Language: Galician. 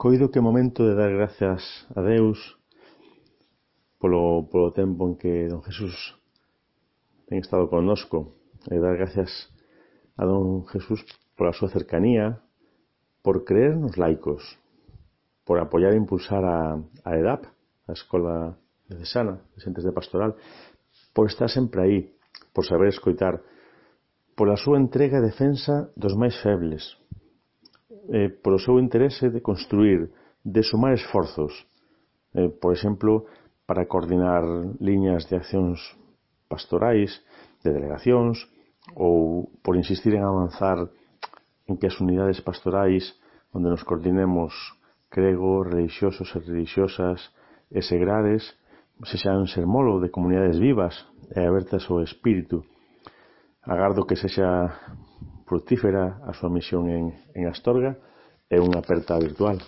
Coido que é momento de dar gracias a Deus polo tempo en que don Jesús ten estado connosco, e dar gracias a don Jesús pola súa cercanía, por creer nos laicos, por apoiar e impulsar a EDAP, a Escola Diocesana de Xentes de Pastoral, por estar sempre aí, por saber escoitar, pola súa entrega e defensa dos máis febles, polo seu interese de construir, de sumar esforzos, por exemplo, para coordinar liñas de accións pastorais, de delegacións, ou por insistir en avanzar en que as unidades pastorais onde nos coordinemos cregos, religiosos e religiosas e segrares sexan sermolo de comunidades vivas e abertas ao espírito. Agardo que sexa fructífera a súa misión en Astorga e unha aperta virtual.